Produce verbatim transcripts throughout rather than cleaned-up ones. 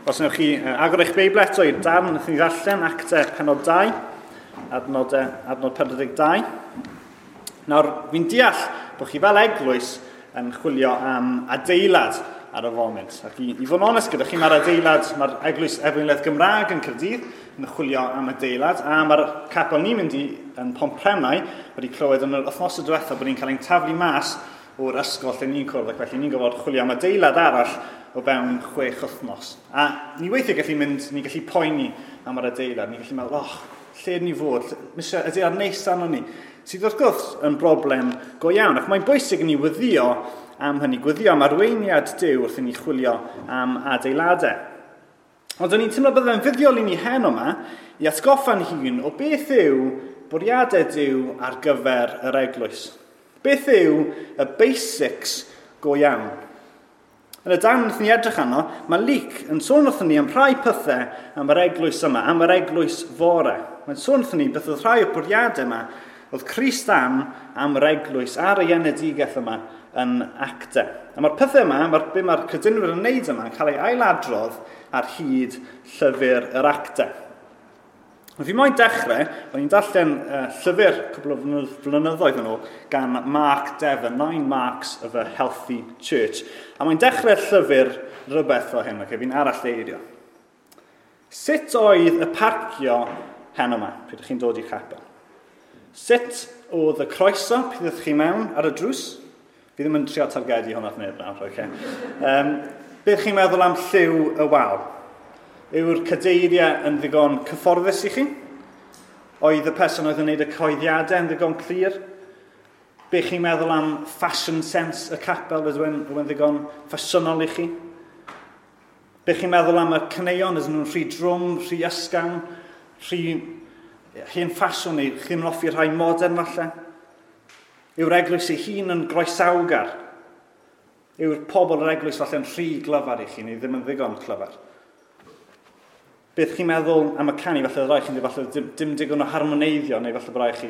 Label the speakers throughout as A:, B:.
A: Os wnewch chi agor eich Beibl eto i'r darn wnaethon ni ddarllen, Actau penod dau, adnod, adnod pedwar deg dau. Nawr, fi'n deall bod chi fel eglwys yn chwilio am adeilad ar y foment. Ac i, i fod yn onest gyda chi, mae'r adeilad, mae'r eglwys Efengelaidd Gymraeg yn Caerdydd yn chwilio am adeilad, a mae'r capel ni'n mynd i yn Pontprennau wedi clywed yn yr wythnos diwethaf bod ni'n cael ein taflu mas o'r ysgol lle ni'n cwrdd, ac felly ni'n gorfod chwilio am adeilad arall o fewn chwech wythnos. A ni weithiau gallu mynd, ni'n gallu poeni am yr adeilad, ni'n gallu meddwl, oh, lle ni fod, misio adeilad neis arno ni, sydd wrth gwrs yn broblem go iawn. Ac mae'n bwysig i ni wyddio am hynny, gweddio am arweiniad Duw wrth i ni chwilio am adeiladau. Ond o'n i'n teimlo byddai'n fuddiol i ni heno yma i atgoffa'n hun o beth yw bwriadau Duw ar gyfer yr eglwys. Beth yw y basics go iawn? Yn y darn wnaethon ni edrych arno, mae Luc yn sôn wrthon ni am rhai pethau am yr eglwys yma, am yr eglwys fore. Mae'n sôn wrthon ni beth oedd rhai o'r bwriadau yma oedd Crist am am yr eglwys ar ei enedigaeth yma yn Actau. A mae'r pethau yma, mae'r, be mae'r credinwyr yn wneud yma, yn cael ei ailadrodd ar hyd llyfr yr Actau. Fi moyn dechrau, o'n i'n darllen uh, llyfr cwpl o flynyddoedd yn ôl gan Mark Dever, Nine Marks of a Healthy Church. A mae'n dechrau'r llyfr rhywbeth fel hyn, okay, fi'n aralleirio. Sut oedd y parcio heno yma, pryd ydych chi'n dod i'r capel? Sut oedd y croeso pryd ydych chi mewn ar y drws? Fi ddim yn trio targedu hwnna at neb nawr, okay. Um, beth chi'n meddwl am lliw y wal? Yw'r cadeiriau yn ddigon cyfforddus i chi? Oedd y person oedd yn gwneud y cyhoeddiadau yn ddigon clir? Be chi'n meddwl am fashion sense y capel, ydw e'n ddigon ffasiynol i chi? Be chi'n meddwl am y caneuon, ydyn nhw'n rhy drwm, rhy ysgafn, rhy hen ffasiwn neu chi'n hoffi rhai modern falle? Yw'r eglwys ei hun yn groesawgar? Yw'r pobl yr eglwys falle'n rhy glyfar i chi neu ddim yn ddigon clyfar? Beth chi'n meddwl am y canu, falle rai chi'n dweud falle dim, dim digon o harmoneiddio, neu falle bod rai chi,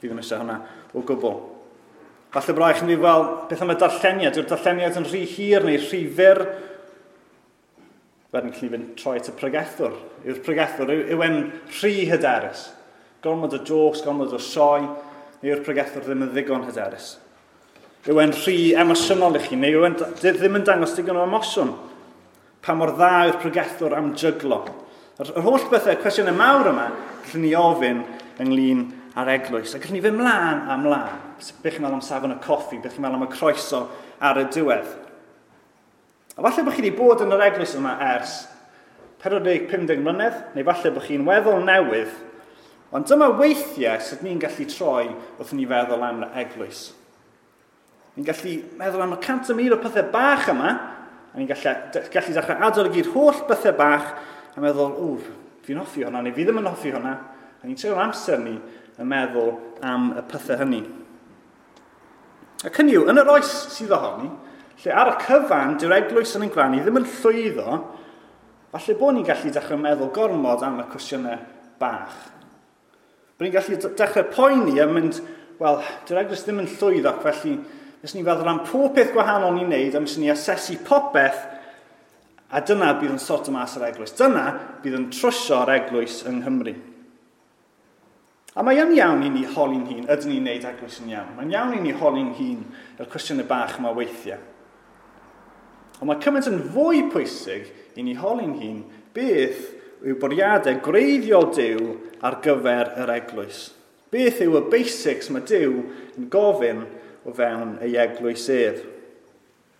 A: fi ddim eisiau hwnna o gwbl. Falle bod rai chi'n dweud, wel, beth am y darlleniad? Yw'r darlleniad yn rhy hir neu rhy fyr? Wedyn chi'n fynd troi at y pregethwr. Yw'r pregethwr, yw, yw e'n rhy hyderus? Gormod o jokes, gormod o sioe, neu yw'r pregethwr ddim yn ddigon hyderus? Yw e'n rhy emosiynol i chi, neu yw e'n ddim yn dangos digon o emosiwn? Pa mor dda yw'r pregethwr am jyglo? Yr, yr holl bethau, cwestiynau mawr yma, gallwn ni ofyn ynglyn â'r eglwys. A gallwn ni fynd mlaen a mlaen. Beth chi'n meddwl am safon y coffi, beth chi'n meddwl am y croeso ar y diwedd. A falle bod chi wedi bod yn yr eglwys yma ers pedwar deg pum deg mlynedd, neu falle bod chi'n weddol newydd, ond dyma weithiau sut ni'n gallu troi wrth ni feddwl am yr eglwys. Ni'n gallu meddwl am y cant y mil o pethau bach yma, a ni'n gallu, gallu dechrau adolygu'r holl bethau bach, a meddwl, o, fi'n hoffi hwnna, neu fi ddim yn hoffi hwnna. A ni'n treulio'r amser ni yn meddwl am y pethau hynny. Ac hynny yw, yn yr oes sydd ohoni, lle ar y cyfan, dyw'r eglwys yn ein gwlad ni ddim yn llwyddo, falle bod ni'n gallu dechrau meddwl gormod am y cwestiynau bach. Bod ni'n gallu dechrau poeni a mynd, wel, dyw'r eglwys ddim yn llwyddo, ac felly nes ni'n feddwl am pob peth gwahanol ni'n neud, a nes ni asesu popeth, a dyna bydd yn sorto mas yr eglwys. Dyna bydd yn trwsio'r eglwys yng Nghymru. A mae yn iawn i ni holi'n hun, ydyn ni'n neud eglwys yn iawn? Mae'n iawn i ni holi'n hun yr cwestiynau bach yma weithiau. Ond mae cymaint yn fwy pwysig i ni holi'n hun beth yw bwriadau gwreiddiol Duw ar gyfer yr eglwys. Beth yw y basics mae Duw yn gofyn o fewn ei eglwys ef?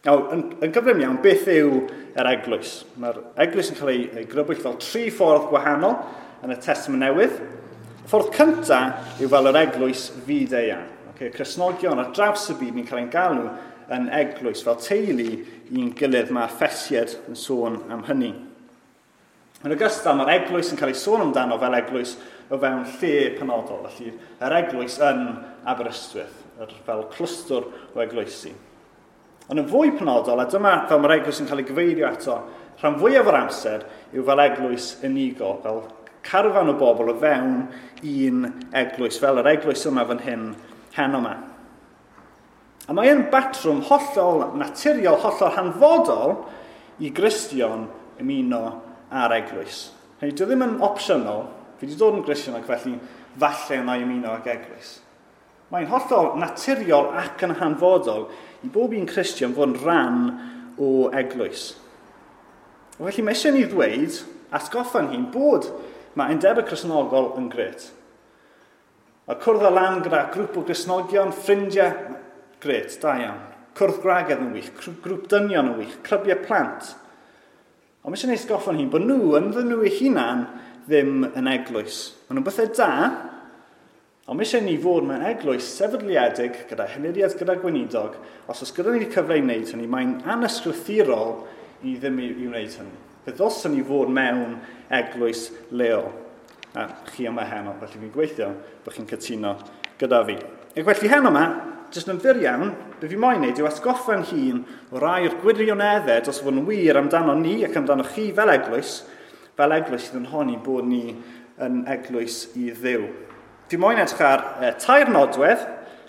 A: Nawr, yn, yn gyflym iawn, beth yw yr eglwys? Mae'r eglwys yn cael ei, ei grybwyll fel tri ffordd gwahanol yn y Testament Newydd. Y ffordd cyntaf yw fel yr eglwys fyd-eang. Okay, Cristnogion ar draws y byd ni'n cael ein galw yn eglwys, fel teulu i'n gilydd. Mae Effesiaid yn sôn am hynny. Yn ogystal, mae'r eglwys yn cael ei sôn amdano fel eglwys o fewn lle penodol. Felly, yr eglwys yn Aberystwyth, yr, fel clwstwr o eglwysi. Ond yn fwy penodol, a dyma fel mae'r eglwys yn cael ei gyfeirio ato, rhan fwyaf o'r amser yw fel eglwys unigol, fel carfan o bobl o fewn un eglwys, fel yr eglwys yma fan hyn, heno yma. A mae yn batrwm hollol naturiol, hollol hanfodol i Gristion ymuno â'r eglwys. Hynny, dyw ddim yn opsiynol, fi wedi dod yn Gristion ac felly falle yna i ymuno ag eglwys. Mae'n hollol naturiol ac yn hanfodol i bob un Cristion fod yn rhan o eglwys. Felly mae eisiau ni ddweud, atgoffa'n hun, bod mae undebau Cristnogol yn grêt. Mae cwrdd â lan gyda grŵp o Gristnogion, ffrindiau, grêt, da iawn. Cwrdd gwragedd yn wych, grŵp dynion yn wych, clybiau plant. Ond mae eisiau ni atgoffa'n hun bod nhw, ynddyn nhw eu hunan, ddim yn eglwys. Maen nhw'n bethau da, ond mae eisiau ni fod mewn eglwys sefydliedig gyda henuriad, gyda gweinidog. Os oes gyda ni'r cyfle i wneud hynny, mae'n anysgrythurol i ddim i, i wneud hynny. Fe ddylsen ni fod mewn eglwys leol. A chi yma heno, felly fi'n gweithio bod chi'n cytuno gyda fi. Ac felly heno yma, jyst yn fyr iawn, be fi moyn wneud yw atgoffa'n hun o rai o'r gwirioneddau dros fod yn wir amdano ni ac amdano chi fel eglwys, fel eglwys sydd yn honni bod ni yn eglwys i Dduw. Fi moyn edrych ar e, tair nodwedd,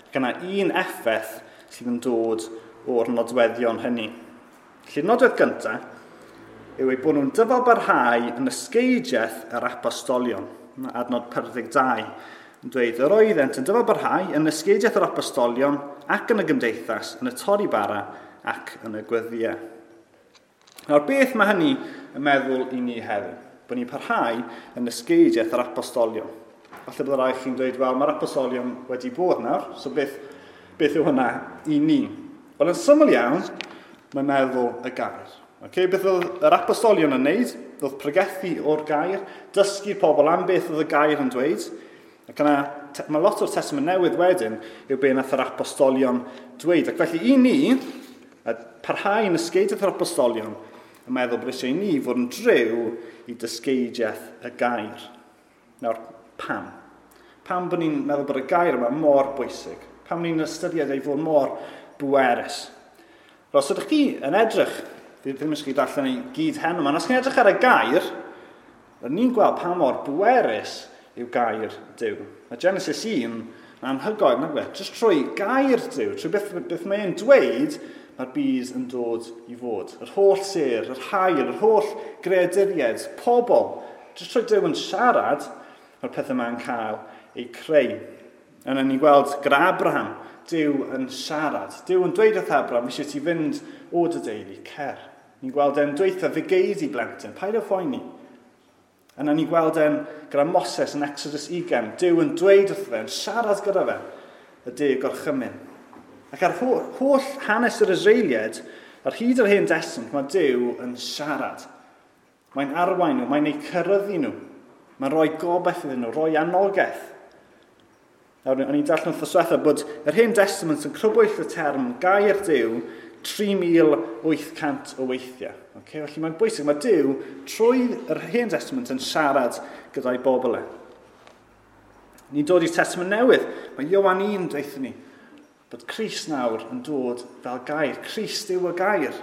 A: ac yna un effaith sydd yn dod o'r nodweddion hynny. Felly'r nodwedd gyntaf yw eu bod nhw'n dyfalbarhau yn ysgeidiaeth yr apostolion. Adnod pedwar deg dau yn dweud, yr oeddent yn dyfalbarhau yn ysgeidiaeth yr apostolion ac yn y gymdeithas, yn y torri bara ac yn y gweddïau. Nawr, beth mae hynny yn meddwl i ni heddiw? Bod ni'n parhau yn ysgeidiaeth yr apostolion. Falle bydd rai chi'n dweud, wel, mae'r apostolion wedi bod nawr, so beth, beth yw hynna i ni? Wel, yn syml iawn, mae'n meddwl y gair. Okay, beth oedd yr apostolion yn wneud? Oedd pregethu o'r gair, dysgu pobl am beth oedd y gair yn dweud. Ac yna, mae lot o'r Testament Newydd wedyn yw be nath yr apostolion dweud. Ac felly i ni, parhau yn ysgeidiaeth yr apostolion, yn meddwl bod eisiau i ni fod yn driw i dysgeidiaeth y gair. Nawr, pam? Pam bod ni'n meddwl bod y gair yma mor bwysig? Pam ni'n ystyried ei fod mor bwerus? Os ydych chi yn edrych, fi ddim eisiau chi darllen ei gyd heno yma, os chi'n edrych ar y gair, ni'n gweld pa mor bwerus yw gair Duw. Mae Genesis un yn anhygoel, nag yw e? Jyst trwy gair Duw, trwy beth, beth mae'n dweud, mae'r byd yn dod i fod. Yr holl sêr, yr haul, yr holl greaduriaid, pobl, jyst trwy Duw yn siarad, mae'r pethau yma'n cael eu creu. Yna ni'n gweld gyda Abraham, Duw yn siarad. Duw yn dweud wrth Abraham, eisiau ti fynd o dy deulu, cer. Ni'n gweld e'n dweud fe gei di blentyn, paid â phoeni. Yna ni'n gweld e'n gyda Moses yn Exodus ugain, Duw yn dweud wrth fe, yn siarad gyda fe, y deg gorchymyn. Ac ar holl hanes yr Israeliaid, ar hyd yr Hen Destament, mae Duw yn siarad. Mae'n arwain nhw, mae'n eu cyryddu nhw. Mae'n rhoi gobaith iddyn nhw, rhoi anogaeth. Nawr, o'n i'n darllen wrth diwetha bod yr Hen Testament yn crybwyll y term gair Duw tri mil wyth cant o weithiau. Okay? Felly mae'n bwysig, mae Duw trwy yr Hen Testament yn siarad gyda'i bobl e. Ni'n dod i'r Testament Newydd. Mae Ioan un dweud ni bod Crist nawr yn dod fel gair. Crist yw y gair.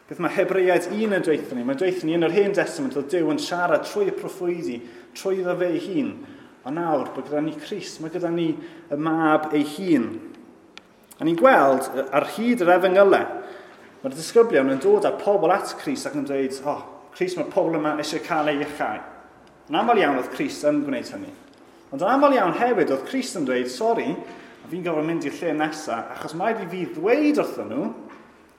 A: Beth mae Hebreaid un yn dweud ni? Mae'n dweud ni yn yr Hen Testament oedd Duw yn siarad trwy y proffwydi, trwy iddo fe ei hun. Ond nawr, bod gyda ni Crist, mae gyda ni y mab ei hun. A ni'n gweld ar hyd yr efengylau, mae'r disgyblion yn dod â pobl at Crist ac yn dweud, oh, Crist, mae'r pobl yma eisiau cael ei iachau. Yn aml iawn oedd Crist yn gwneud hynny. Ond yn aml iawn hefyd oedd Crist yn dweud, sori, a fi'n gorfod mynd i'r lle nesaf, achos mae i fi ddweud wrthyn nhw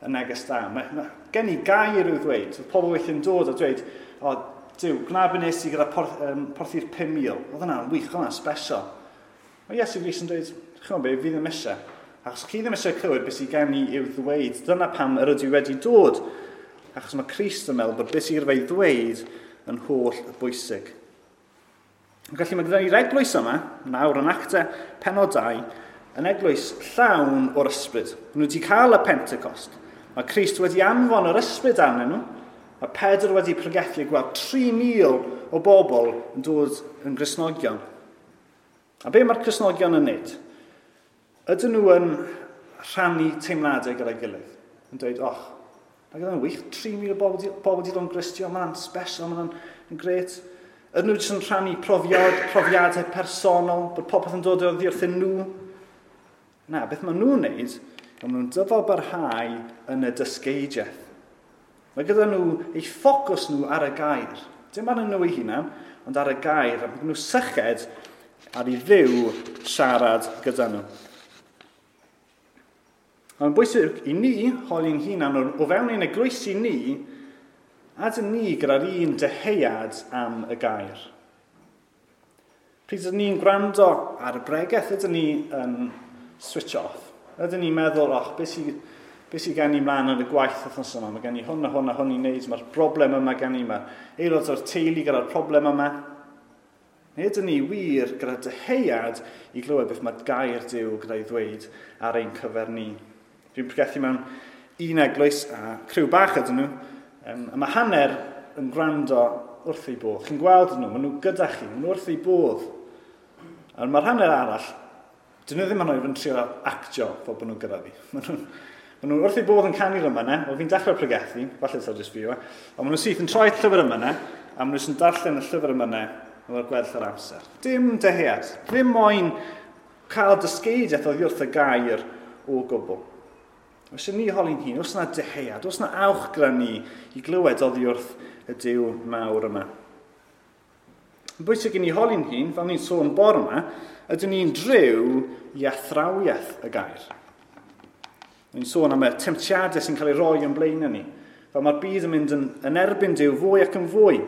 A: y neges da. Mae, mae gen i gair i'w ddweud. Oedd pobl weithiau'n dod a dweud, oh, Duw, gwna be nes i gyda porth, um, porthi'r pum mil. Oedd hwnna'n wych, oedd hwnna'n special. Mae Iesu Grist yn dweud, chi'n be, fi ddim eisiau. Achos chi ddim eisiau clywed beth sydd gen i i'w ddweud. Dyna pam yr ydw i wedi dod. Achos mae Crist yn meddwl bod beth sydd gyda fe i ddweud yn holl bwysig. Felly mae gyda ni'r eglwys yma, nawr yn Actau pennod dau, yn eglwys llawn o'r ysbryd. Maen nhw wedi cael y Pentecost. Mae Crist wedi anfon yr ysbryd arnyn nhw. Mae Pedr wedi pregethu gweld tri mil o bobl yn dod yn Gristnogion. A be mae'r Cristnogion yn wneud? Ydyn nhw yn rhannu teimladau gyda'i gilydd? Yn dweud, och, mae gyda'n wych, tri mil o bobl wedi dod yn Gristion, mae'n special, mae'n grêt. Ydyn nhw jyst yn rhannu profiad, profiadau personol, bod popeth yn dod oddi wrthyn nhw? Na, beth maen nhw'n wneud, maen nhw'n dyfalbarhau yn y dysgeidiaeth. Mae gyda nhw eu ffocws nhw ar y gair. Dim ar nhw eu hunan, ond ar y gair. A mae nhw syched ar i Dduw siarad gyda nhw. Mae'n bwysig i ni holi'n hunan o fewn ein eglwysi ni, a dyn ni gyda'r un dyheuad am y gair. Pryd ydyn ni'n gwrando ar y bregeth, ydyn ni yn switch off. Ydyn ni'n meddwl, oh, beth sydd be sy gen i mlaen yn y gwaith wythnos yma? Mae gen i hwn a hwn a hwn i wneud, mae'r broblem yma gen i, mae'r aelod o'r teulu gyda'r broblem yma. Neu ydyn ni wir gyda dyheuad i glywed beth mae gair Duw gyda'i ddweud ar ein cyfer ni. Dwi'n pregethu mewn un eglwys a criw bach ydyn nhw, um, a mae hanner yn gwrando wrth eu bodd. Chi'n gweld nhw, maen nhw gyda chi, maen nhw wrth eu bodd. A mae'r hanner arall, dyn nhw ddim yn oed yn trio actio fel bod nhw gyda fi. Maen nhw'n maen nhw wrth eu bodd yn canu'r yma, wel fi'n dechrau pregethu, falle taw jyst fi yw e, ond maen nhw'n syth yn troi llyfr yma, a maen nhw'n darllen y llyfr yma efo'r gweddill yr amser. Dim dyhead, ddim moyn cael dysgeidiaeth oddi wrth y gair o gwbl. Os ydyn ni holi'n hun, oes yna dyhead, oes yna awch gyda ni i glywed oddi wrth y Duw mawr yma. Yn bwysig i ni holi'n hun, fel ni'n sôn bore yma, ydyn ni'n driw i athrawiaeth y gair. Ni'n sôn am y temtiadau sy'n cael ei roi yn blaen ni. Fel mae'r byd yn mynd yn, yn erbyn Duw fwy ac yn fwy.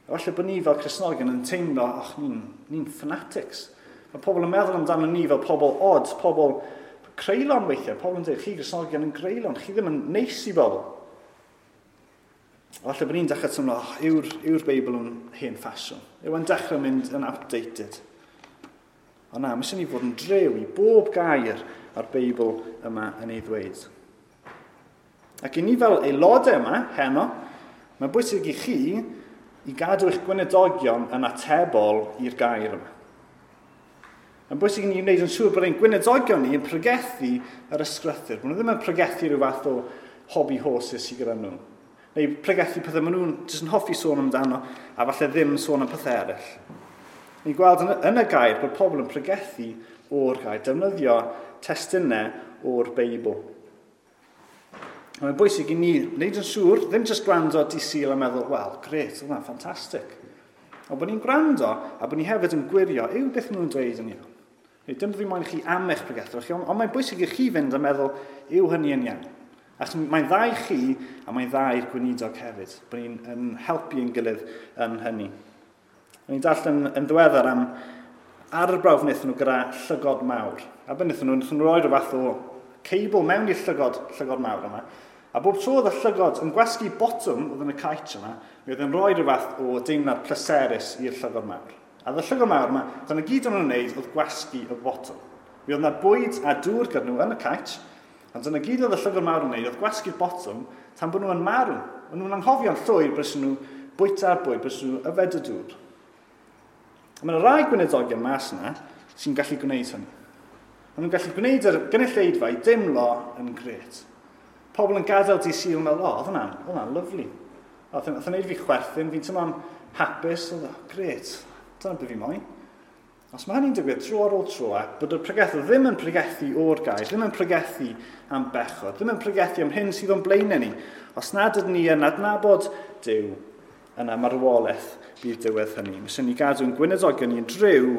A: A falle bod ni fel Cristnogion yn teimlo, och, ni'n ni fanatics. Mae pobl yn meddwl amdano ni fel pobl odd, pobl creulon weithiau. Pobl yn dweud, chi Gristnogion yn greulon, chi ddim yn neis i bobl. A falle bod ni'n dechrau teimlo, oh, yw'r, yw'r Beibl yn hen ffasiwn. Yw e'n dechrau mynd yn outdated. Ond na, mae eisiau ni fod yn drew i bob gair a'r Beibl yma yn ei ddweud. Ac i ni fel aelodau yma, heno, mae'n bwysig i chi i gadw eich gweinidogion yn atebol i'r gair yma. Mae'n bwysig i ni wneud yn siŵr bod ein gweinidogion ni yn pregethu yr ysgrythur. Bod nhw ddim yn pregethu rhyw fath o hobby horses sydd gyda nhw. Neu pregethu pethau maen nhw'n jyst yn hoffi sôn amdano a falle ddim sôn am pethau eraill. Ni'n gweld yn, yn y gair bod pobl yn pregethu o'r gair, defnyddio testunau o'r Beibl. A mae'n bwysig i ni wneud yn siŵr, ddim jyst gwrando dydd Sul a meddwl, wel, grêt, oedd hwnna'n ffantastig. Ond bod ni'n gwrando a bod ni hefyd yn gwirio, yw beth maen nhw'n dweud yn iawn. Neu dim fi moyn chi am eich pregethwr chi, ond, ond mae'n bwysig i chi fynd a meddwl, yw hynny yn iawn. Achos mae'n dda i chi a mae'n dda i'r gweinidog hefyd, bod ni'n yn helpu ein gilydd yn hynny. O'n i'n darllen yn ddiweddar am arbrawf wnaethon nhw gyda llygod mawr. A beth wnaethon nhw, wnaethon nhw roi rhyw fath o cable mewn i'r llygod, llygod mawr yma. A bob tro oedd y llygod yn gwasgu botwm oedd yn y caets yma, mi oedd yn rhoi rhyw fath o deimlad pleserus i'r llygod mawr. A oedd y llygod mawr yma, dyna gyd o'n nhw'n wneud oedd gwasgu y botwm. Mi oedd yna bwyd a dŵr gyda nhw yn y caets, ond dyna gyd oedd y llygod mawr yn wneud oedd gwasgu'r botwm tan bod nhw'n marw. O'n nhw'n anghofio'n llwyr bod nhw bwyta'r bwyd, bod nhw yfed y dŵr. A mae yna rai gweinidogion mas yna sy'n gallu gwneud hynny. Maen nhw'n gallu gwneud yr gynulleidfa i deimlo yn grêt. Pobl yn gadael dydd Sul yn meddwl, o, oedd hwnna'n, oedd hwnna'n lyfli. Oedd hwnna'n gwneud fi chwerthin, fi'n teimlo'n hapus, oedd o, grêt, dyna beth fi moyn. Os mae hynny'n digwydd tro ar ôl tro, a bod y pregethwr ddim yn pregethu o'r gair, ddim yn pregethu am bechod, ddim yn pregethu am hyn sydd o'n blaenau ni, os nad ydyn ni yn adnabod Duw, yna marwolaeth bydd diwedd hynny. Mae eisiau ni gadw'n gweinidogion ni'n driw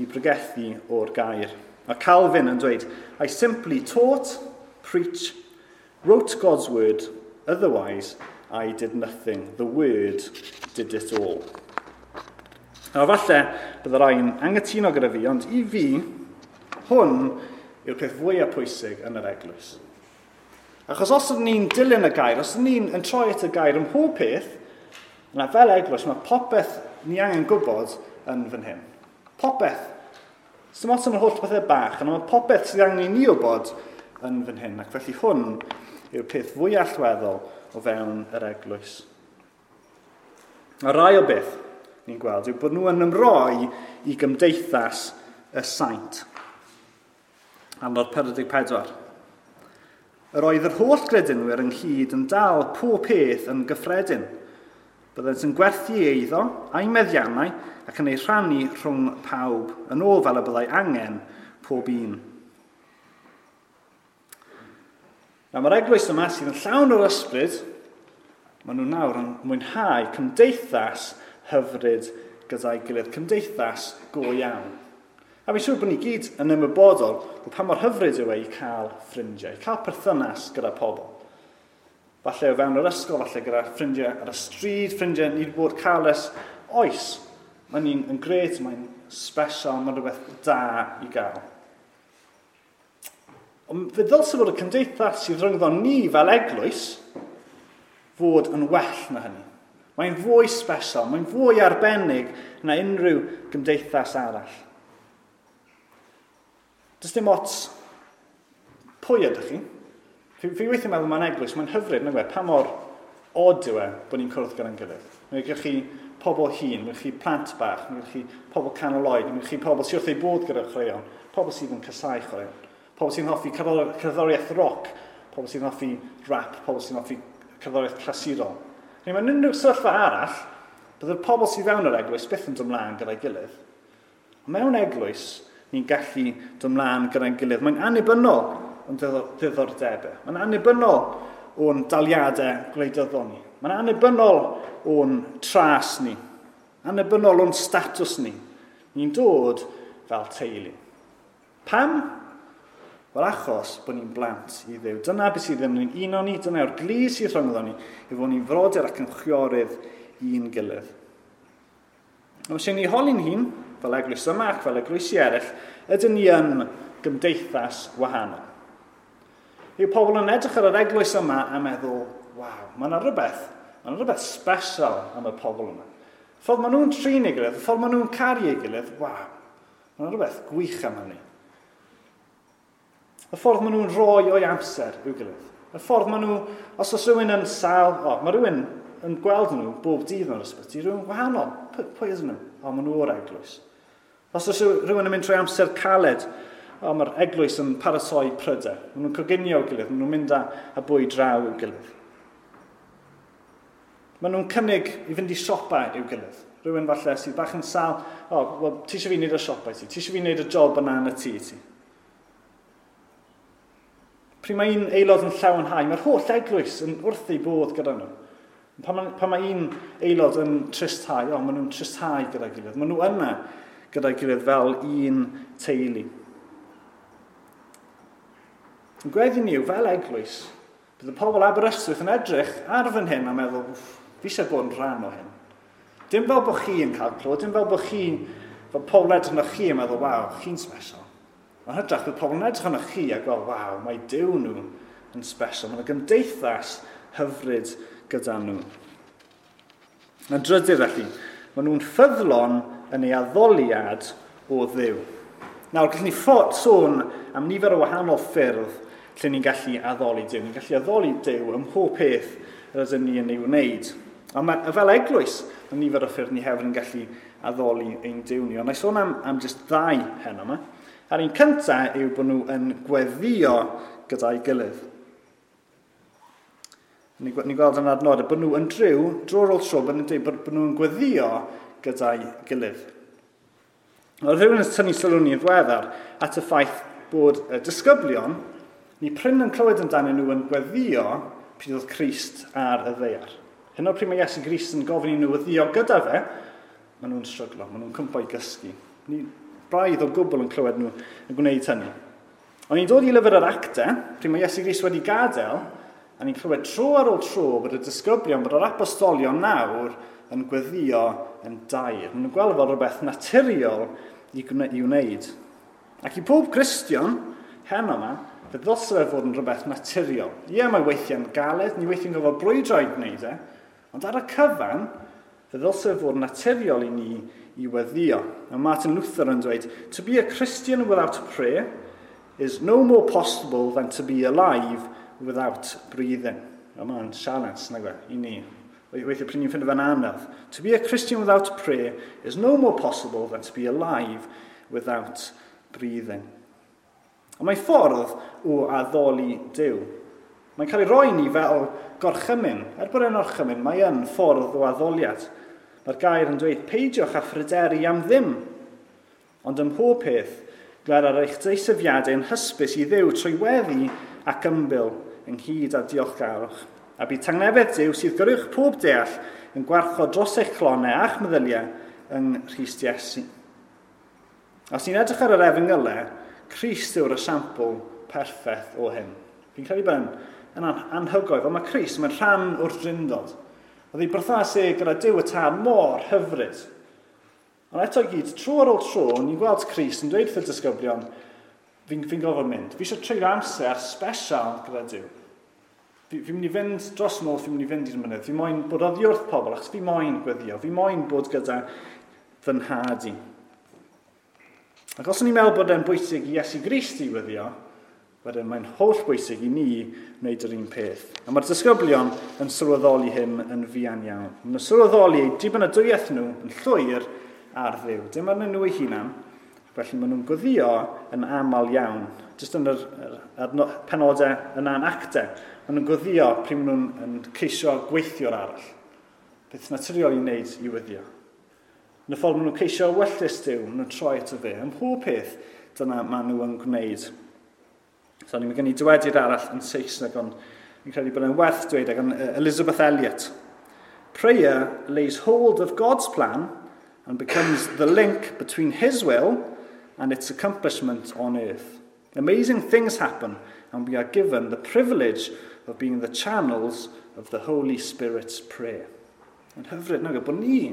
A: i pregethu o'r gair. Mae Calvin yn dweud, I simply taught, preach, wrote God's word, otherwise I did nothing. The word did it all. Nawr falle bydd y rhai'n anghytuno gyda fi, ond i fi, hwn yw'r peth fwyaf pwysig yn yr eglwys. Achos os ydyn ni'n dilyn y gair, os ydyn ni'n yn troi at y gair ym mhob peth, yna fel eglwys mae popeth ni angen gwybod yn fan hyn. Popeth. Sdim ots am yr holl pethau bach, ond mae popeth sydd angen i ni wybod yn fan hyn. Ac felly hwn yw'r peth fwy allweddol o fewn yr eglwys. A rai o beth ni'n gweld yw bod nhw yn ymroi i gymdeithas y saint. Adnod pedwar deg pedwar. Yr oedd yr holl gredinwyr ynghyd yn dal pob peth yn gyffredin. Byddent yn gwerthu eiddo a'i meddiannau ac yn ei rhannu rhwng pawb, yn ôl fel y byddai angen pob un. Nawr mae'r eglwys yma sydd yn llawn o'r ysbryd Maen nhw nawr yn mwynhau cymdeithas hyfryd gyda'i gilydd, cymdeithas go iawn. A fi'n siŵr bod ni gyd yn ymwybodol o pa mor hyfryd yw e i cael ffrindiau, i cael perthynas gyda pobl. Falle o fewn yr ysgol, falle gyda ffrindiau ar y stryd, ffrindiau ni wedi bod cael ers oes. Mae'n un yn grêt, mae'n special, mae'n rhywbeth da i gael. Ond fe ddylse fod y cymdeithas sydd rhyngddo ni fel eglwys fod yn well na hynny. Mae'n fwy special, mae'n fwy arbennig na unrhyw gymdeithas arall. Does dim ots pwy ydych chi. Fi, fi weithio meddwl mae'n eglwys, mae'n hyfryd, nag e, pa mor od yw e bod ni'n cwrdd gyda'n gilydd. Mae gennych chi pobl hŷn, mae gennych chi plant bach, mae gennych chi pobl canol oed, mae gennych chi pobl sydd wrth eu bodd gyda chwaraeon, pobl sydd yn casáu chwaraeon, pobl sy'n hoffi cerddoriaeth roc, pobl sy'n hoffi rap, pobl sy'n hoffi cerddoriaeth clasurol. Neu mewn unrhyw sefyllfa arall, byddai'r pobl sydd fewn yr eglwys byth yn dod ymlaen gyda'i gilydd. Ond mewn eglwys, ni'n gallu dod ymlaen gyda'n gilydd. Mae'n annibynnol o'n diddordebau. Mae'n annibynnol o'n daliadau gwleidyddol ni. Mae'n annibynnol o'n tras ni. Annibynnol o'n statws ni. Ni'n dod fel teulu. Pam? Wel, achos bod ni'n blant i Dduw. Dyna beth sydd ddim yn uno ni, dyna yw'r glu sydd rhyngddo ni, i fod ni'n frodyr ac yn chwiorydd i'n gilydd. Os ydyn ni holi'n hun, fel eglwys yma ac fel eglwysi eraill, ydyn ni yn gymdeithas wahanol? Yw pobl yn edrych ar yr eglwys yma a meddwl, waw, mae yna rhywbeth, mae yna rhywbeth special am y pobl yma. Y ffordd maen nhw'n trin ei gilydd, y ffordd maen nhw'n caru ei gilydd, waw, mae yna rhywbeth gwych am hynny. Y ffordd maen nhw'n rhoi o'i amser i'w gilydd. Y ffordd maen nhw, os oes rhywun yn sâl, o, mae rhywun yn gweld nhw bob dydd mewn ysbyty, rhywun gwahanol. Pwy, pwy ydyn nhw? O, maen nhw o'r eglwys. Os oes rhywun yn mynd trwy amser caled, o, mae'r eglwys yn paratoi prydau. Maen nhw'n coginio i'w gilydd, maen nhw'n mynd â, â bwyd draw i'w gilydd. Maen nhw'n cynnig i fynd i siopa i'w gilydd. Rhywun falle sydd bach yn sâl, o, well, ti eisiau fi wneud y siopa i ti, ti eisiau fi wneud y job yna yn y tŷ i ti. Pryd mae un aelod yn llawenhau, mae'r holl eglwys yn wrth ei bodd gyda nhw. Pan mae, pan mae un aelod yn tristhau, o, maen nhw'n tristhau gyda'i gilydd. Maen nhw yna gyda'i gilydd fel un teulu. Yn gweddi ni yw, fel eglwys, bydd y pobl Aberystwyth yn edrych ar fan hyn a meddwl, fi eisiau bod yn rhan o hyn. Dim fel bod chi yn cael clod, dim fel bod chi, fel pobl edrych arnoch chi yn meddwl, waw, chi'n special. Ond hytrach, bydd pobl yn edrych arnoch chi a gweld, waw, mae Duw nhw yn special. Mae yna gymdeithas hyfryd gyda nhw. Yn drydydd felly, maen nhw'n ffyddlon yn ei addoliad o Dduw. Nawr, gallwn ni sôn am nifer o wahanol ffyrdd lle ni'n gallu addoli Duw. Ni'n gallu addoli Duw ym mhob peth yr ydym ni yn ei wneud. Ond mae, fel eglwys, mae nifer o ffyrdd ni hefyd yn gallu addoli ein Duw ni. Ond na i sôn am, am jyst ddau heno yma. A'r un cyntaf yw bod nhw yn gweddio gyda'i gilydd. Ni'n ni gweld yn adnodau bod nhw yn driw, dro ar ôl tro, bod nhw'n dweud bod, bod nhw'n gweddio gyda'i gilydd. Oedd rhywun yn tynnu sylw ni yn ddiweddar at y ffaith bod y disgyblion, ni prin yn clywed amdanyn nhw yn gweddio pryd oedd Crist ar y ddaear. Hyn o'r pryd mae Iesu Grist yn gofyn i nhw weddio gyda fe, maen nhw'n stryglo, maen nhw'n cwympo i gysgu. Ni braidd o gwbl yn clywed nhw yn gwneud hynny. Ond ni'n dod i lyfr yr Actau, pryd mae Iesu Grist wedi gadael, a ni'n clywed tro ar ôl tro bod y disgyblion, bod yr apostolion nawr yn gweddio yn daer. Maen nhw'n gweld fel rhywbeth naturiol i wneud. Ac i pob Cristion, heno yma, fe ddylse fe fod yn rhywbeth naturiol. Ie, mae weithiau'n galed, ni weithiau'n gorfod brwydro i gwneud e, ond ar y cyfan, fe ddylse fe fod yn naturiol i ni i weddio. A Martin Luther yn dweud, to be a Christian without prayer is no more possible than to be alive without breathing. A mae'n sialens, nag e, i ni. Weithiau pryd ni'n ffindo fe'n anodd. To be a Christian without prayer is no more possible than to be alive without breathing. Ond mae ffordd o addoli Duw. Mae'n cael ei roi ni fel gorchymyn. Er bod e'n orchymyn, mae yn ffordd o addoliad. Mae'r gair yn dweud, peidiwch â phryderu am ddim. Ond ym mhob peth, gwler ar eich deisyfiadau yn hysbys i Dduw trwy weddi ac ymbil ynghyd â diolchgarwch. A bydd tangnefedd Duw sydd goruwch pob deall yn gwarchod dros eich clonau a'ch meddyliau yng Nghrist Iesu. Os ni'n edrych ar yr efengylau, Crist yw'r esiampl perffaith o hyn. Fi'n credu bod yn anhygoel, ond mae Crist, mae'n rhan o'r drindod. Oedd ei berthynas e gyda Duw y Tad mor hyfryd. Ond eto i gyd, tro ar ôl tro, ni'n gweld Crist yn dweud wrth y disgyblion, fi'n fi gorfod mynd. Fi eisiau treulio amser special gyda Duw. Fi, fi'n mynd i fynd dros nos, fi'n mynd i fynd i'r mynydd. Fi moyn bod oddi wrth pobl, achos fi moyn gweddio. Fi moyn bod gyda fy nhad i. Ac os o'n i'n meddwl bod e'n bwysig i Iesu Grist i weddio, wedyn mae'n holl bwysig i ni wneud yr un peth. A mae'r disgyblion yn sylweddoli hyn yn fuan iawn. Maen nhw'n sylweddoli eu dibynadwyaeth nhw yn llwyr ar Dduw. Dim arnyn nhw eu hunan, felly maen nhw'n gweddio yn aml iawn. Jyst yn yr, yr, yr penodau yna'n actau, maen nhw'n gweddio pryd maen nhw'n yn ceisio gweithio'r arall. Beth naturiol i wneud i weddio. Yn y ffordd maen nhw'n ceisio ewyllys Duw, maen nhw'n troi ato fe. Ym mhob peth, dyna maen nhw yn gwneud. So, ni'n gen i dywediad arall yn Saesneg, ond fi'n credu bod e'n werth dweud, gan Elizabeth Elliot. Prayer lays hold of God's plan and becomes the link between his will and its accomplishment on earth. Amazing things happen, and we are given the privilege of being the channels of the Holy Spirit's prayer. Yn hyfryd, nag, bod ni,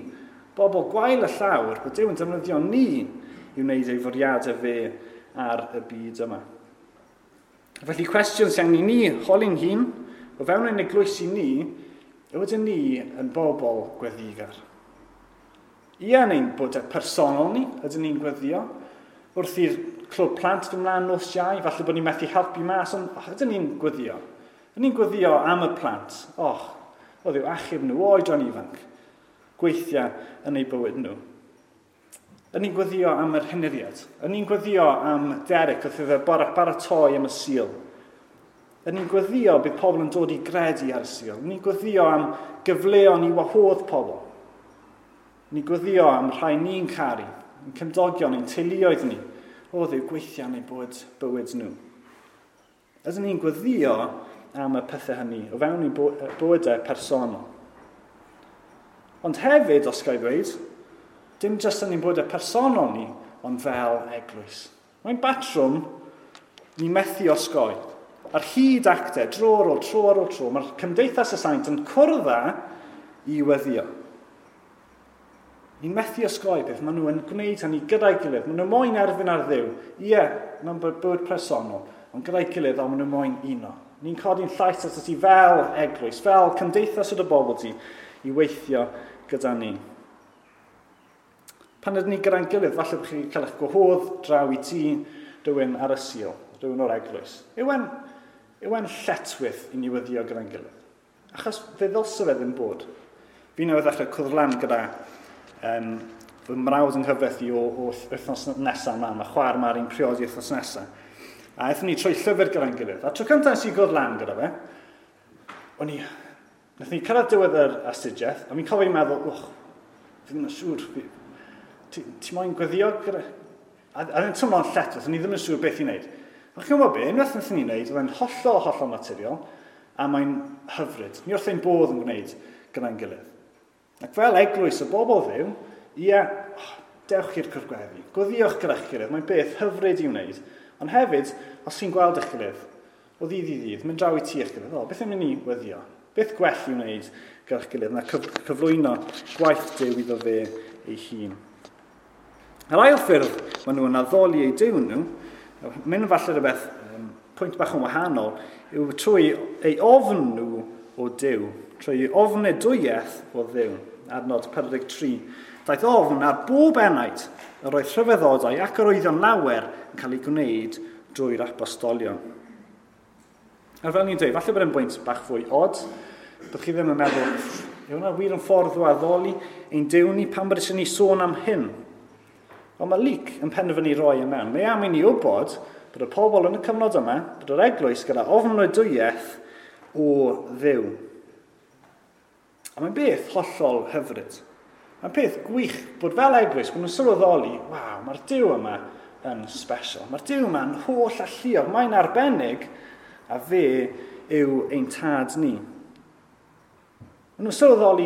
A: bobl gwael y llawr, bod Duw yn defnyddio ni i wneud ei fwriadau fe ar y byd yma. Felly cwestiwn sy'n angen i ni holi'n hun, o fewn ein eglwysi ni, yw ydyn ni yn bobl gweddigar. Ie, yn ein bywydau personol ni, ydyn ni'n gweddio. Wrth i'r clwb plant fynd mlaen nos Iau, falle bod ni'n methu helpu mas, ond oh, ydyn ni'n gweddio. Ydyn ni'n gweddio am y plant. Och, o Dduw, achub nhw, oedran ifanc. Gweithio yn eu bywyd nhw. Ydyn ni'n gweddio am yr henuriad. Ydyn ni'n gweddio am Derek wrth iddo baratoi am y Sul. Ydyn ni'n gweddio bydd pobl yn dod i gredu ar y Sul. Ydyn ni'n gweddio am gyfleon i wahodd pobl. Ydyn ni'n gweddio am rhai ni'n caru, ein cymdogion, ein teuluoedd ni. O Dduw, gweithio yn eu bywyd, bywyd nhw. Ydyn ni'n gweddio am y pethau hynny o fewn ein bywydau personol. Ond hefyd, os ga i ddweud, dim jyst yn ein bywydau personol ni, ond fel eglwys. Mae'n batrwm ni methu osgoi. Ar hyd actau, dro ar ôl tro ar ôl tro, mae'r cymdeithas y saint yn cwrdd i weddio. Ni'n methu osgoi beth, maen nhw yn gwneud hynny gyda'i gilydd. Maen nhw moyn erfyn ar Dduw. Ie, mewn bywyd personol, ond gyda'i gilydd, ond maen nhw moyn uno. Ni'n codi'n llais at ti fel eglwys, fel cymdeithas o dy bobl ti, i weithio gyda ni. Pan ydyn ni gyda'n gilydd, falle bod chi'n cael eich gwahodd draw i tŷ rhywun ar y Sul, rhywun o'r eglwys. Yw e'n, yw e'n lletchwith i ni weddio gyda'n gilydd? Achos fe ddylse fe ddim bod. Fi newydd ddechrau cwrdd lan gyda um, fy mrawd yng nghyfraith i o, o wythnos nesaf yma, mae chwaer Mari'n priodi wythnos nesaf. A aethon ni trwy llyfr gyda'n gilydd. A tro cyntaf nes i gwrdd lan gyda fe, o'n i, nath ni cyrraedd diwedd yr astudiaeth, a fi'n cofio meddwl, och, fi ddim yn siŵr, fi, ti, ti moyn gweddio gyda... A, a ddim teimlo'n lletchwith, o'n i ddim yn siŵr beth i wneud. Ond chi'n gwybod be, unwaith wnaethon ni wneud, oedd e'n hollol, hollol naturiol, a mae'n hyfryd. Ni wrth ein bodd yn gwneud gyda'n gilydd. Ac fel eglwys y bobl Dduw, ie, oh, dewch i'r cwrdd gweddi, gweddiwch gyda'ch gilydd, mae'n beth hyfryd i wneud. Ond hefyd, os chi'n gweld eich gilydd, o ddydd i ddydd, mynd draw i tŷ eich gilydd, o, beth am i ni weddio? Beth gwell i wneud gyda'ch gilydd na cyf cyflwyno gwaith Duw iddo fe ei hun. Yr ail ffyrdd maen nhw yn addoli eu Duw nhw, mynd falle rhywbeth um, pwynt bach yn wahanol, yw trwy ei ofn nhw o Duw, trwy ei ofnadwyaeth o Dduw. Adnod pedwar deg tri. Daeth ofn ar bob enaid yr oedd rhyfeddodau ac arwyddion lawer yn cael eu gwneud drwy'r apostolion. A fel ni'n dweud, falle bod e'n bwynt bach fwy od, bod chi ddim yn meddwl, yw hwnna wir yn ffordd o addoli ein Duw ni, pam bod eisiau ni sôn am hyn? Ond mae Luc yn penderfynu roi e mewn. Mae am i ni wybod bod y pobl yn y cyfnod yma, bod yr eglwys gyda ofnadwyaeth o Dduw. A mae'n beth hollol hyfryd. Mae'n peth gwych bod fel eglwys, bod nhw'n sylweddoli, waw, mae'r Duw yma yn special. Mae'r Duw yma'n holl alluog, mae'n arbennig, a fe yw ein tad ni. Maen nhw'n sylweddoli,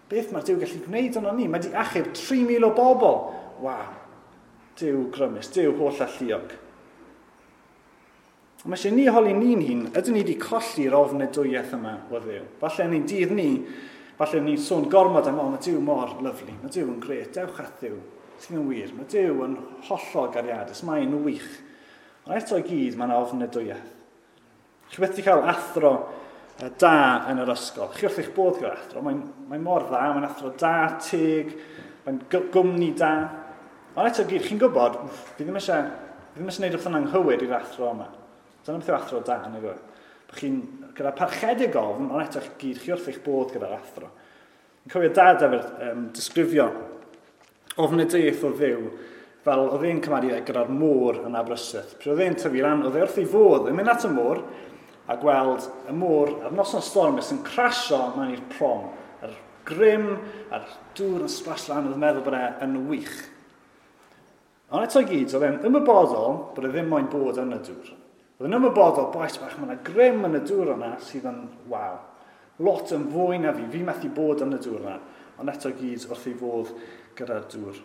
A: beth mae'r Duw gallu gwneud yno ni? Mae wedi achub tri mil o bobl. Waw, Duw grymus, Duw holl alluog. Ond mae eisiau ni holi ni'n hun, ydyn ni wedi colli'r ofnadwyaeth yma o Dduw? Falle yn ein dydd ni, falle ni'n sôn gormod am, o, mae Duw mor lyfli, mae Duw yn grêt, dewch at Dduw, sydd yn wir, mae Duw yn hollol gariadus, mae'n wych. Ond eto i gyd, mae'n ofnadwyaeth. Chi wedi cael athro da yn yr ysgol. Chi wrth eich bodd gyda'r athro, mae'n mae mor dda, mae'n athro da, teg, mae'n gwmni da. Ond eto i gyd, chi'n gwybod, fi ddim eisiau, fi ddim eisiau gwneud wrth yn anghywir i'r athro yma. Dyna beth yw athro da, nag yw e? Bod chi'n gyda parchedig ofn, ond eto gyd, chi wrth eich bodd gyda'r athro. Yn cofio dad efo'r um, disgrifio ofnadwyaeth o Dduw, fel oedd e'n cymharu gyda'r môr yn Aberystwyth. Pryd oedd e'n tyfu lan, oedd e wrth ei fodd yn mynd at y môr a gweld y môr ar noson stormus yn crasio mewn i'r prom. Yr grym a'r dŵr yn splash lan, oedd yn meddwl bod e yn wych. Ond eto i gyd, oedd e'n ymwybodol bod e ddim moyn bod yn y dŵr. Oedd yn ymwybodol, boes bach, mae yna grym yn y dŵr yna sydd yn, waw, lot yn fwy na fi, fi methu bod yn y dŵr yna, ond eto gyd wrth ei fodd gyda'r dŵr.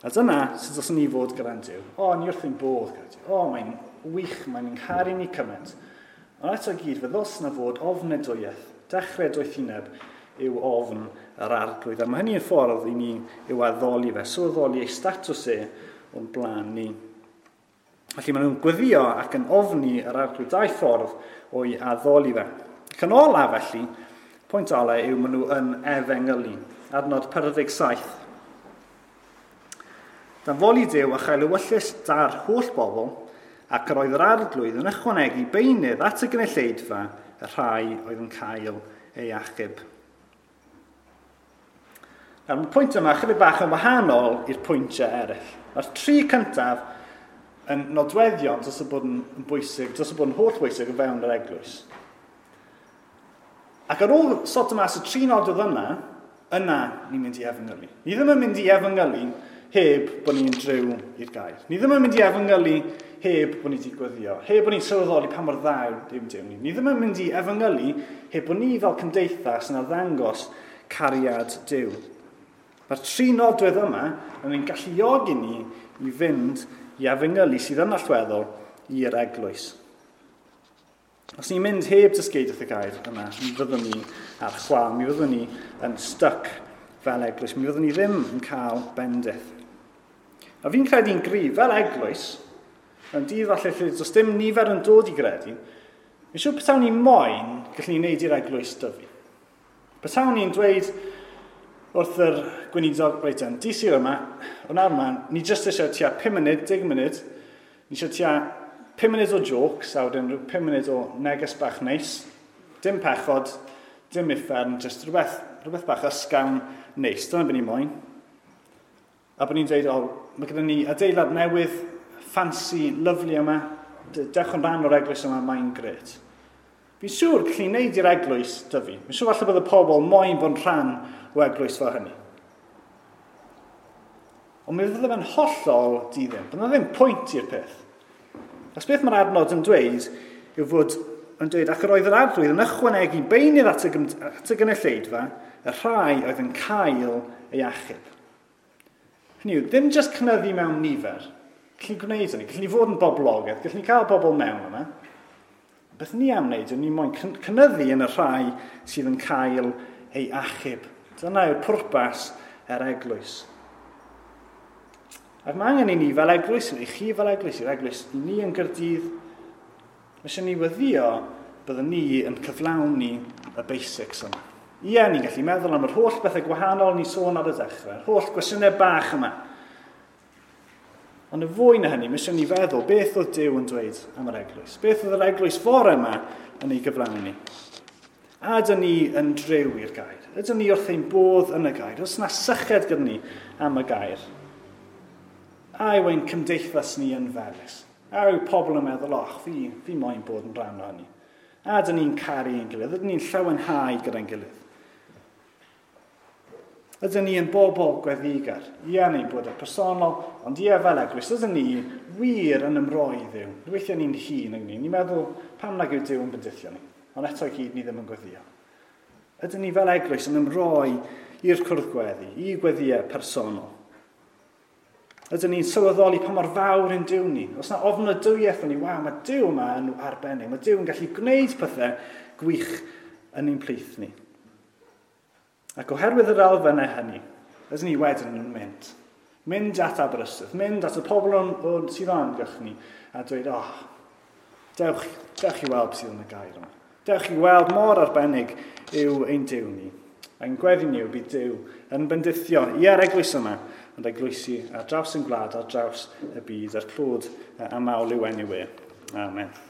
A: A dyna sut os ni fod gyda'n Duw. O, ni wrth ein bodd gyda Duw. O, mae'n wych, mae'n ngharu ni cymaint. Ond eto gyd, fe ddylse na fod ofnadwyaeth, dechrau doethineb yw ofn yr Arglwydd. A mae hynny'n ffordd i ni yw addoli fe, sylweddoli ei statws e o'n blaen ni. Felly maen nhw'n gweddio ac yn ofni yr Arglwydd, dau ffordd o'i addoli fe. Ac yn ola felly, pwynt ola yw maen nhw yn efengylu. Adnod pedwar deg saith. Dan foli Duw a chael ewyllys da'r holl bobl, ac yr oedd yr Arglwydd yn ychwanegu beunydd at y gynulleidfa y rhai oedd yn cael ei achub. Nawr, mae'r pwynt yma chydig bach yn wahanol i'r pwyntiau eraill. Mae'r tri cyntaf yn nodweddion dros y bod yn bwysig, dros y bod yn holl bwysig o fewn yr eglwys. Ac ar ôl sorto mas y tri nodwedd yma, yna ni'n mynd i efengylu. Ni ddim yn mynd i efengylu heb bod ni'n driw i'r gair. Ni ddim yn mynd i efengylu heb bod ni wedi gweddio, heb bod ni'n sylweddoli pa mor dda yw Duw ni. Ni ddim yn mynd i efengylu heb bod ni fel cymdeithas yn arddangos cariad Duw. Mae'r tri nodwedd yma yn ein galluogi ni i fynd i efengylu sydd yn allweddol i'r eglwys. Os ni'n mynd heb dysgeidiaeth y gair yma, mi fyddwn ni ar chwâl, mi fyddwn ni yn stuck fel eglwys, mi fyddwn ni ddim yn cael bendith. A fi'n credu'n gryf, fel eglwys, mewn dydd falle lle does dim nifer yn dod i gredu, fi'n siŵr petawn ni moyn, gallwn ni wneud i'r eglwys dyfu. Petawn ni'n dweud wrth yr gweinidog, reit yn, di Sul yma, o nawr yma, ni jyst eisiau tua pum munud, deg munud, ni eisiau tua pum munud o jokes, a wedyn rhyw pum munud o neges bach neis, dim pechod, dim uffern, jyst rhywbeth, rhywbeth bach ysgafn neis, dyna beth ni moyn. A bod ni'n dweud, o, mae gyda ni adeilad newydd, fancy, lyfli yma, dewch yn rhan o'r eglwys yma, mae'n grêt. Fi'n siŵr gallu wneud i'r eglwys dyfu. Fi'n siŵr falle bod y pobl moyn bod yn rhan o eglwys fel hynny. Ond mi fydde fe'n hollol di-ddim. Bydd yna ddim pwynt i'r peth. Achos beth mae'r adnod yn dweud yw fod yn dweud, ac yr oedd yr Arglwydd yn ychwanegu beunydd at y, at y gynulleidfa, y rhai oedd yn cael ei achub. Hynny yw, ddim jyst cynyddu mewn nifer. Gallwn ni gwneud hynny, gallwn ni fod yn boblogaidd, gallwn ni cael bobl mewn yma. Beth ni am wneud yw ni moyn cynyddu yn y rhai sydd yn cael ei achub. Dyna yw'r pwrpas yr eglwys. Ac mae angen i ni fel eglwys, i chi fel eglwys, i'r eglwys, i ni yn Gaerdydd, mae eisiau ni weddio byddwn ni yn cyflawni y basics yma. Ie, ni'n gallu meddwl am yr holl bethau gwahanol ni sôn ar y dechrau, yr holl gwestiynau bach yma. Ond y fwy na hynny, mae eisiau ni feddwl beth oedd Duw yn dweud am yr eglwys. Beth oedd yr eglwys fore yma yn ei gyflawni. A ydyn ni yn driw i'r gair? Ydyn ni wrth ein bodd yn y gair? Oes yna syched gyda ni am y gair? A yw ein cymdeithas ni yn felys? A yw pobl yn meddwl, och, fi, fi moyn bod yn rhan o hynny? A ydyn ni'n caru ein gilydd? Ydyn ni'n llawenhau gyda'n gilydd? Ydyn ni yn bobl gweddigar? Ie, ni'n bod yn personol, ond ie fel eglwys, ydyn ni wir yn ymroi i Dduw. Weithiau ni'n hun yng ni. Ni'n meddwl, pam nag yw Duw yn bendithio ni? Ond eto i gyd, ni ddim yn gweddio. Ydyn ni fel eglwys yn ymroi i'r cwrdd gweddi, i gweddïau personol? Ydyn ni'n sylweddoli pa mor fawr yn Duw ni? Os na ofnadwyaeth yn ni, waw, mae Duw yma yn arbennig. Mae Duw yn gallu gwneud pethau gwych yn ein plith ni. Ac oherwydd yr elfennau hynny, ydyn ni wedyn yn mynd. Mynd at Aberystwyth, mynd at y pobl o'n, o'n, sydd o'n amgylch ni, a dweud, oh, dewch, dewch i weld sydd yn y gair yma. Dewch i weld mor arbennig yw ein Duw ni. A'n gweddi ni yw bydd Duw yn bendithio i ar eglwys yma, ond eglwysi ar draws yn gwlad, ar draws y byd, a'r clod a mawl i'w enw e. Amen.